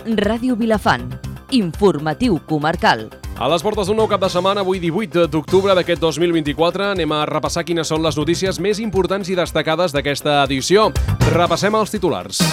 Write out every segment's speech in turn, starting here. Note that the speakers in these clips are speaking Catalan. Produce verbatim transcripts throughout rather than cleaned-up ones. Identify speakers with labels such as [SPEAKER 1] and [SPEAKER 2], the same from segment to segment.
[SPEAKER 1] Ràdio Vilafant. Informatiu comarcal.
[SPEAKER 2] A les portes d'un nou cap de setmana, avui divuit d'octubre d'aquest dos mil vint-i-quatre, anem a repassar quines són les notícies més importants i destacades d'aquesta edició. Repassem els titulars.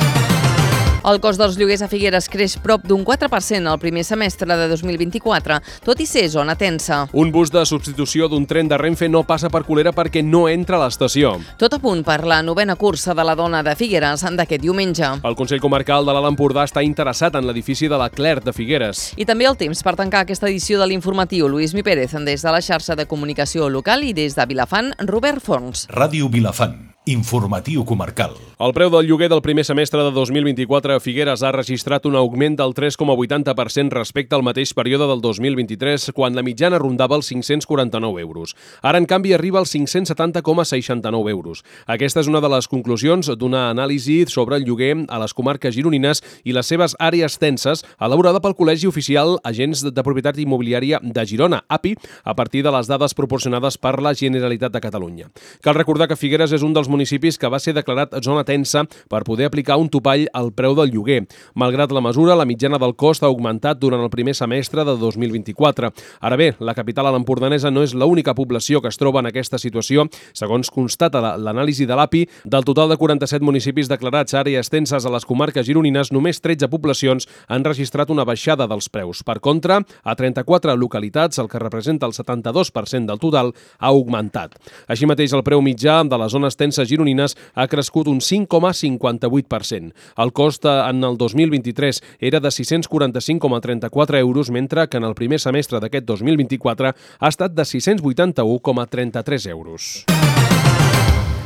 [SPEAKER 3] El cost dels lloguers a Figueres creix prop d'un quatre per cent al primer semestre de dos mil vint-i-quatre, tot i ser zona tensa.
[SPEAKER 2] Un bus de substitució d'un tren de Renfe no passa per Colera perquè no entra a l'estació.
[SPEAKER 3] Tot a punt per la novena cursa de la dona de Figueres d'aquest diumenge.
[SPEAKER 2] El Consell Comarcal de l'Alt Empordà està interessat en l'edifici de la Clerc de Figueres.
[SPEAKER 3] I també el temps per tancar aquesta edició de l'informatiu. Luis Mi Pérez, des de la xarxa de comunicació local, i des de Vilafant, Robert Forns.
[SPEAKER 4] Ràdio Vilafant. Informatiu comarcal.
[SPEAKER 2] El preu del lloguer del primer semestre de dos mil vint-i-quatre a Figueres ha registrat un augment del tres coma vuitanta per cent respecte al mateix període del dos mil vint-i-tres, quan la mitjana rondava els cinc-cents quaranta-nou euros. Ara, en canvi, arriba als cinc-cents setanta coma seixanta-nou euros. Aquesta és una de les conclusions d'una anàlisi sobre el lloguer a les comarques gironines i les seves àrees tenses, elaborada pel Col·legi Oficial Agents de Propietat Immobiliària de Girona, A P I, a partir de les dades proporcionades per la Generalitat de Catalunya. Cal recordar que Figueres és un dels municipis que va ser declarat zona tensa per poder aplicar un topall al preu del lloguer. Malgrat la mesura, la mitjana del cost ha augmentat durant el primer semestre de dos mil vint-i-quatre. Ara bé, la capital empordanesa no és l'única població que es troba en aquesta situació. Segons constata l'anàlisi de l'A P I, del total de quaranta-set municipis declarats àrees tenses a les comarques gironines, només tretze poblacions han registrat una baixada dels preus. Per contra, a trenta-quatre localitats, el que representa el setanta-dos per cent del total, ha augmentat. Així mateix, el preu mitjà de les zones tenses gironines ha crescut un cinc coma cinquanta-vuit per cent. El cost en el dos mil vint-i-tres era de sis-cents quaranta-cinc coma trenta-quatre euros, mentre que en el primer semestre d'aquest dos mil vint-i-quatre ha estat de sis-cents vuitanta-u coma trenta-tres euros.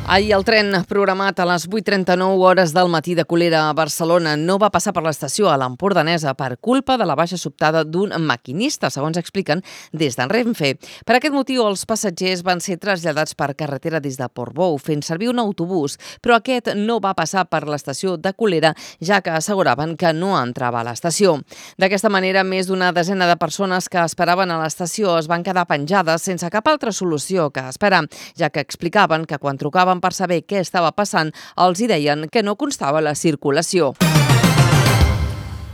[SPEAKER 3] Ahir el tren programat a les vuit trenta-nou hores del matí de Colera a Barcelona no va passar per l'estació a l'Empordanesa per culpa de la baixa sobtada d'un maquinista, segons expliquen des d'en Renfe. Per aquest motiu, els passatgers van ser traslladats per carretera des de Portbou, fent servir un autobús, però aquest no va passar per l'estació de Colera, ja que asseguraven que no entrava a l'estació. D'aquesta manera, més d'una desena de persones que esperaven a l'estació es van quedar penjades sense cap altra solució que esperar, ja que explicaven que quan trucaven per saber què estava passant, els hi deien que no constava la circulació.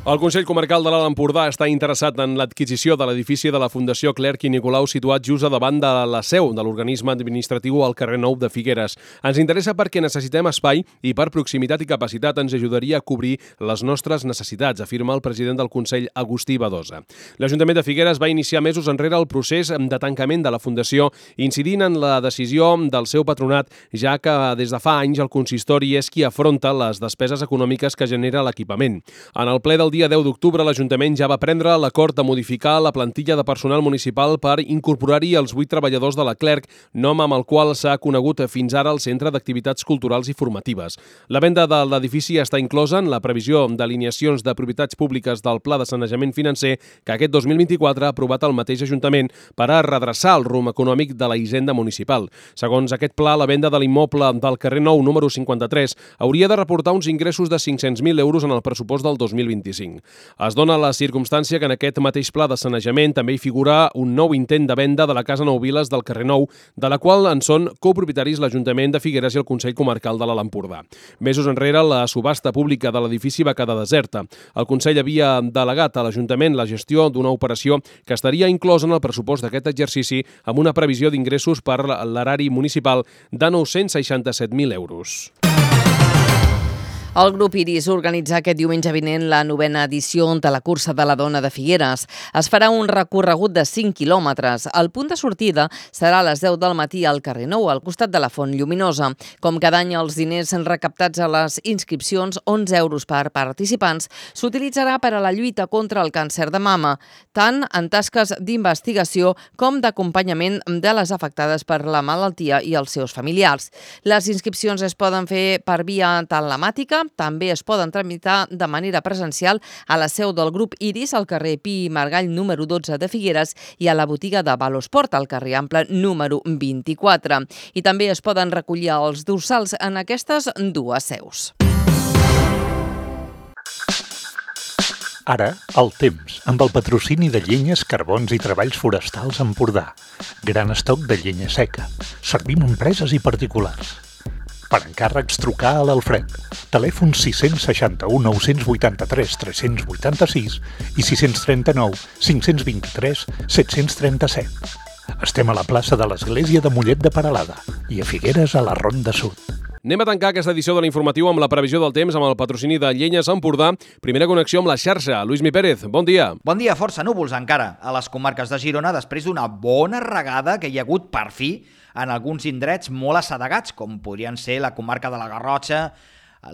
[SPEAKER 2] El Consell Comarcal de l'Alt Empordà està interessat en l'adquisició de l'edifici de la Fundació Clerc i Nicolau situat just a davant de la seu de l'organisme administratiu al carrer Nou de Figueres. Ens interessa perquè necessitem espai i per proximitat i capacitat ens ajudaria a cobrir les nostres necessitats, afirma el president del Consell, Agustí Badosa. L'Ajuntament de Figueres va iniciar mesos enrere el procés de tancament de la Fundació, incidint en la decisió del seu patronat, ja que des de fa anys el consistori és qui afronta les despeses econòmiques que genera l'equipament. En el ple del dia deu d'octubre, l'Ajuntament ja va prendre l'acord de modificar la plantilla de personal municipal per incorporar-hi els vuit treballadors de la Clerc, nom amb el qual s'ha conegut fins ara el Centre d'Activitats Culturals i Formatives. La venda de l'edifici està inclosa en la previsió d'alineacions de propietats públiques del Pla de Sanejament Financer que aquest dos mil vint-i-quatre ha aprovat el mateix Ajuntament per a redreçar el rumb econòmic de la hisenda municipal. Segons aquest pla, la venda de l'immoble del carrer Nou número cinquanta-tres hauria de reportar uns ingressos de cinc-cents mil euros en el pressupost del dos mil vint-i-cinc. Es dona la circumstància que en aquest mateix pla de sanejament també hi figura un nou intent de venda de la Casa Nou Viles del carrer Nou, de la qual en són copropietaris l'Ajuntament de Figueres i el Consell Comarcal de l'Alt Empordà. Mesos enrere, la subhasta pública de l'edifici va quedar deserta. El Consell havia delegat a l'Ajuntament la gestió d'una operació que estaria inclosa en el pressupost d'aquest exercici amb una previsió d'ingressos per l'erari municipal de nou-cents seixanta-set mil euros.
[SPEAKER 3] El grup Iris organitza aquest diumenge vinent la novena edició de la cursa de la dona de Figueres. Es farà un recorregut de cinc quilòmetres. El punt de sortida serà a les deu del matí al carrer Nou, al costat de la Font Lluminosa. Com cada any, els diners recaptats a les inscripcions, onze euros per participants, s'utilitzarà per a la lluita contra el càncer de mama, tant en tasques d'investigació com d'acompanyament de les afectades per la malaltia i els seus familiars. Les inscripcions es poden fer per via telemàtica, també es poden tramitar de manera presencial a la seu del grup Iris, al carrer Pi i Margall número dotze de Figueres, i a la botiga de Valosport, al carrer Ample número vint-i-quatre. I també es poden recollir els dorsals en aquestes dues seus.
[SPEAKER 5] Ara, el temps, amb el patrocini de Llenyes, Carbons i Treballs Forestals Empordà. Gran estoc de llenya seca. Servim empreses i particulars. Per encàrrecs, trucar a l'Alfred. Telèfon sis cents seixanta-u nou cents vuitanta-tres tres-cents vuitanta-sis i sis cents trenta-nou cinc-cents vint-i-tres set-cents trenta-set. Estem a la plaça de l'Església de Mollet de Peralada i a Figueres a la Ronda Sud.
[SPEAKER 2] Anem a tancar aquesta edició de l'informatiu amb la previsió del temps amb el patrocini de Llenyes Empordà. Primera connexió amb la xarxa. Luismi Pérez, bon dia.
[SPEAKER 6] Bon dia, força núvols encara a les comarques de Girona després d'una bona regada que hi ha hagut per fi en alguns indrets molt assedegats, com podrien ser la comarca de la Garrotxa,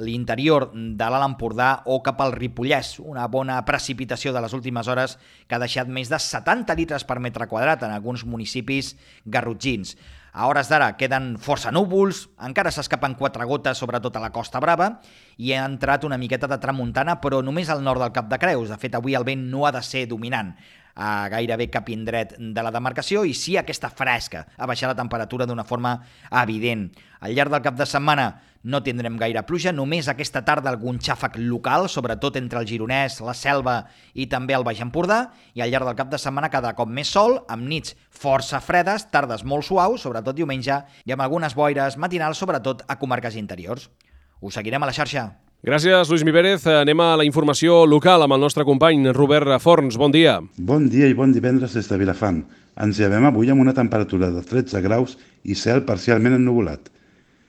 [SPEAKER 6] l'interior de l'Alt Empordà o cap al Ripollès. Una bona precipitació de les últimes hores que ha deixat més de setanta litres per metre quadrat en alguns municipis garrotxins. A hores d'ara queden força núvols, encara s'escapen quatre gotes sobretot a la Costa Brava i ha entrat una miqueta de tramuntana però només al nord del Cap de Creus. De fet, avui el vent no ha de ser dominant a gairebé cap indret de la demarcació i sí aquesta fresca, a baixar la temperatura d'una forma evident. Al llarg del cap de setmana no tindrem gaire pluja, només aquesta tarda algun xàfec local, sobretot entre el Gironès, la Selva i també el Baix Empordà, i al llarg del cap de setmana cada cop més sol, amb nits força fredes, tardes molt suaus, sobretot diumenge, i amb algunes boires matinals, sobretot a comarques interiors. Us seguirem a la xarxa.
[SPEAKER 2] Gràcies, Luismi Pérez. Anem a la informació local amb el nostre company Robert Forns. Bon dia.
[SPEAKER 7] Bon dia i bon divendres des de Vilafant. Ens llevem avui amb una temperatura de tretze graus i cel parcialment ennuvolat.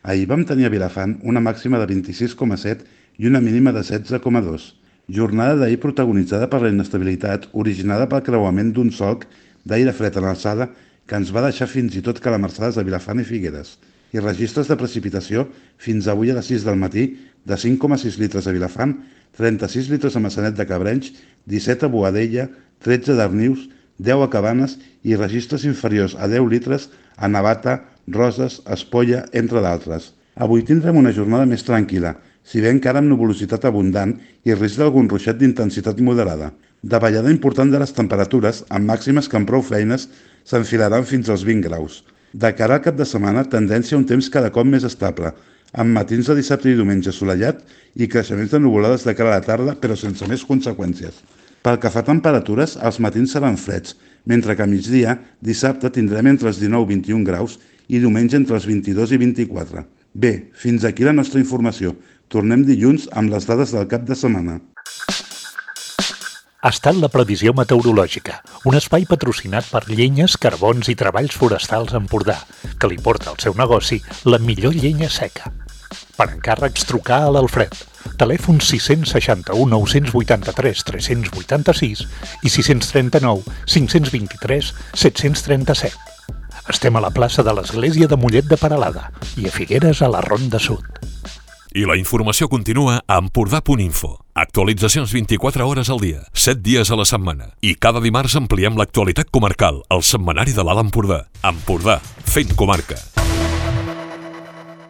[SPEAKER 7] Ahir vam tenir a Vilafant una màxima de vint-i-sis coma set i una mínima de setze coma dos. Jornada d'ahir protagonitzada per la inestabilitat originada pel creuament d'un solc d'aire fred en alçada que ens va deixar fins i tot calamarsades a Vilafant i Figueres. I registres de precipitació fins avui a les sis del matí de cinc coma sis litres a Vilafant, trenta-sis litres a Massanet de Cabrenys, disset a Boadella, tretze a Darnius, deu a Cabanes i registres inferiors a deu litres a Navata, Roses, Espolla, entre d'altres. Avui tindrem una jornada més tranquil·la, si bé encara amb nuvolositat abundant i risc d'algun ruixat d'intensitat moderada. Davallada important de les temperatures, amb màximes que amb prou feines s'enfilaran fins als vint graus. De cara al cap de setmana, tendència a un temps cada cop més estable, amb matins de dissabte i diumenge assolellat i creixements de nuvolades de cara a la tarda, però sense més conseqüències. Pel que fa a temperatures, els matins seran freds, mentre que a migdia, dissabte, tindrem entre els dinou i vint-i-un graus i diumenge entre els vint-i-dos i vint-i-quatre. Bé, fins aquí la nostra informació. Tornem dilluns amb les dades del cap de setmana.
[SPEAKER 5] Ha estat la previsió meteorològica, un espai patrocinat per Llenyes, Carbons i Treballs Forestals Empordà, que li porta al seu negoci la millor llenya seca. Per encàrrecs, trucar a l'Alfred. Telèfon sis cents seixanta-u nou cents vuitanta-tres tres-cents vuitanta-sis i sis cents trenta-nou cinc-cents vint-i-tres set-cents trenta-set. Estem a la plaça de l'Església de Mollet de Peralada i a Figueres a la Ronda Sud.
[SPEAKER 8] I la informació continua a empordà punt info. Actualitzacions vint-i-quatre hores al dia, set dies a la setmana. I cada dimarts ampliem l'actualitat comarcal al setmanari de l'Alt Empordà. Empordà, fent comarca.